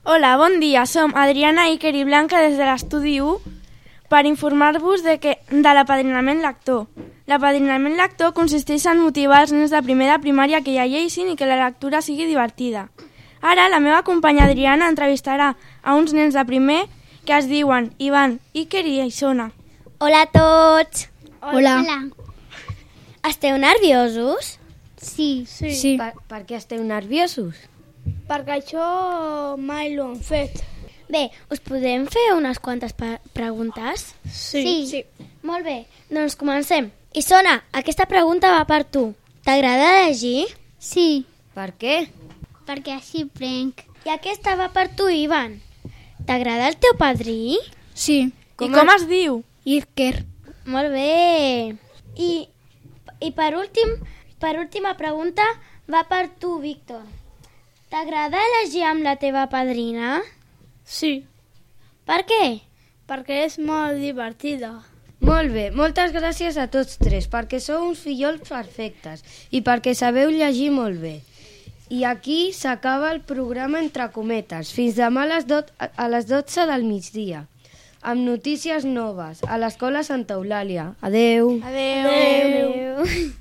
Hola, bon dia. Som Adriana, Iker i Blanca des de l'estudi 1 per informar-vos de l'apadrinament lector. L'apadrinament lector consisteix en motivar els nens de primer de primària que llegeixin i que la lectura sigui divertida. Ara, la meva companya Adriana entrevistarà a uns nens de primer que es diuen Ivan, Iker i Isona. Hola a tots! Hola. Esteu nerviosos? Sí. Per què esteu nerviosos? Perquè això mai l'ho han fet. Bé, us podem fer unes quantes preguntes? Sí. Molt bé, doncs comencem. Isona, aquesta pregunta va per tu. T'agrada llegir? Sí, Per què? perquè així prenc. I aquesta va per tu, Ivan. T'agrada el teu padrí? Sí. I com es diu? Iker. Molt bé. I per última pregunta va per tu, Víctor. T'agrada llegir amb la teva padrina? Sí, Per què? perquè és molt divertida. Molt bé, moltes gràcies a tots tres, perquè sou uns fillols perfectes i perquè sabeu llegir molt bé. I aquí s'acaba el programa entre cometes, fins demà a les 12 del migdia, amb notícies noves a l'Escola Santa Eulàlia. Adeu! Adeu.